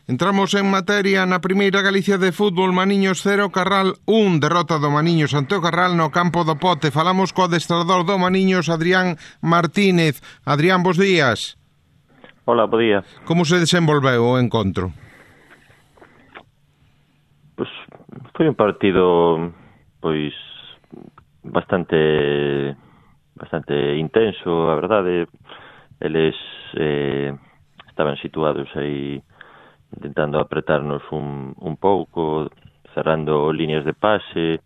Entramos en materia na primeira Galicia de fútbol. Maniños 0, Carral 1, derrota do Maniños ante o Carral no campo do Pote. Falamos co adestrador do Maniños, Adrián Martínez. Adrián, bos días. Hola, bo día. Como se desenvolveu o encontro? Pois foi un partido bastante intenso, a verdade. Eles estaban situados aí intentando apretarnos un pouco, cerrando líneas de pase.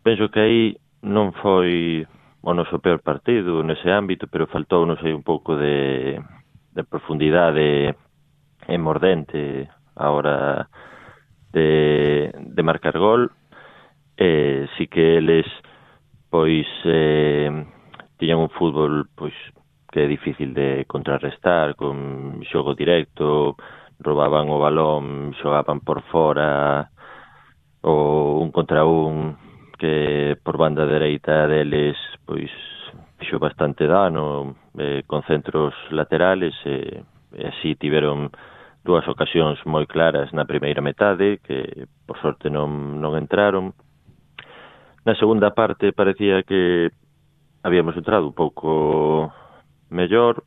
Penso que aí non foi o noso peor partido nese ámbito, pero faltounos aí un pouco de profundidade e mordente a hora de marcar gol. Si que eles tiñan un fútbol que é difícil de contrarrestar, con xogo directo, roubaban o balón, xogaban por fora, o un contra un, que por banda dereita deles fixo bastante dano, con centros laterales, e así tiveron dúas ocasións moi claras na primeira metade, que por sorte non entraron. Na segunda parte parecía que habíamos entrado un pouco mellor,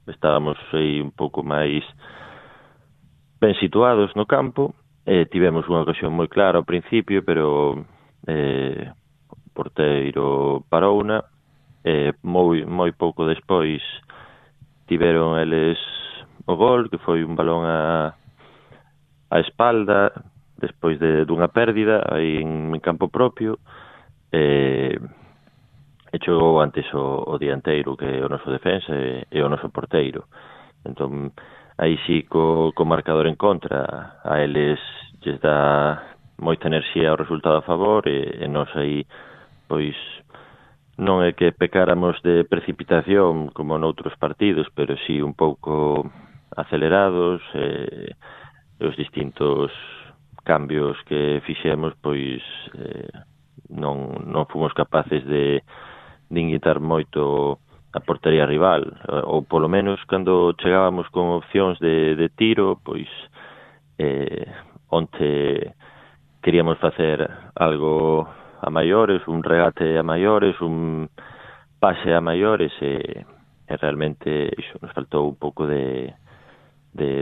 estábamos aí un pouco máis ben situados no campo, tivemos unha ocasión moi clara ao principio, pero o porteiro parouna, moi pouco despois tiveron eles o gol, que foi un balón a espalda, despois dunha pérdida aí en campo propio, e chegou antes o dianteiro, que é o noso defensa e o noso porteiro. Entón, aí sí, co marcador en contra, a eles lles dá moita enerxía ao resultado a favor, e nós aí, non é que pecáramos de precipitación como noutros partidos, pero sí un pouco acelerados, os distintos cambios que fixemos, non fomos capaces de inquietar moito a portería rival, ou polo menos cando chegábamos con opcións de tiro, onde queríamos facer algo a maiores, un regate a maiores, un pase a maiores, e realmente iso nos faltou un pouco de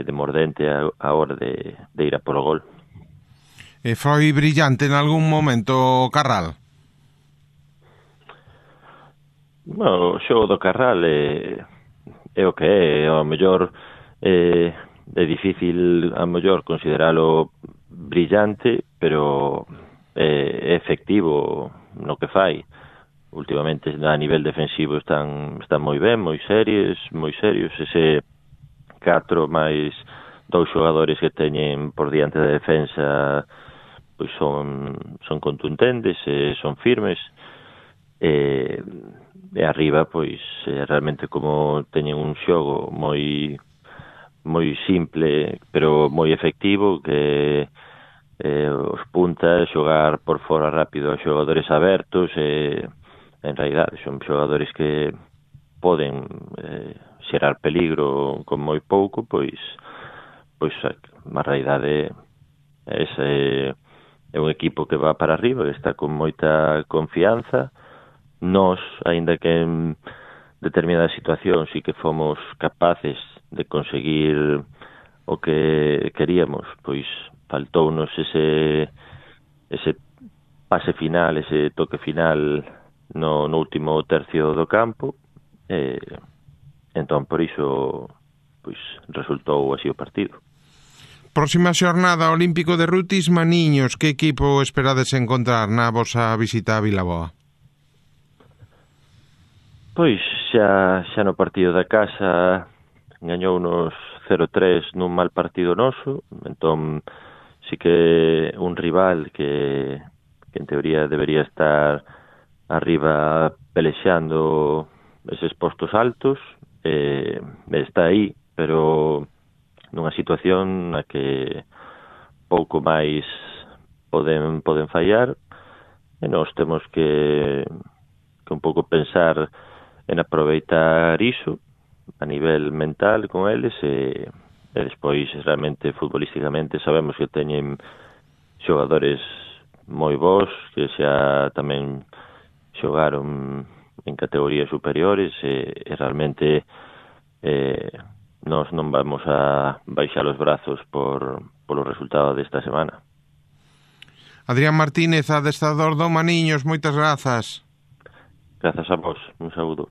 mordente a hora de ir a polo gol. Foi brillante en algún momento o Carral? O xogo do Carral é o que é, ao mellor é difícil ao mellor consideralo brillante, pero é efectivo no que fai. Últimamente a nivel defensivo están moi ben, moi serios, ese 4 máis 2 xogadores que teñen por diante da defensa son contundentes, son firmes, e arriba realmente como teñen un xogo moi simple pero moi efectivo, que os puntas xogar por fora rápido a xogadores abertos, en realidade son xogadores que poden xerar peligro con moi pouco, a realidade é un equipo que va para arriba, que está con moita confianza. Nós, aínda que en determinadas situacións sí que fomos capaces de conseguir o que queríamos, faltounos ese pase final, ese toque final no último tercio do campo, entón por iso resultou así o partido. Próxima xornada, Olímpico de Rutis, Maniños. Que equipo esperades encontrar na vosa visita a Vilaboa? Xa no partido da casa gañounos 0-3 nun mal partido noso, entón sí que un rival que en teoría debería estar arriba pelexando eses postos altos, está aí, pero nunha situación na que pouco máis poden fallar, e nós temos que un pouco pensar en aproveitar iso a nivel mental con eles, e E despois, realmente, futbolísticamente, sabemos que teñen xogadores moi bons, que xa tamén xogaron en categorías superiores e realmente nós non vamos a baixar os brazos polo resultado desta semana. Adrián Martínez, adestrador do Maniños, moitas grazas. Grazas a vos, un saúdo.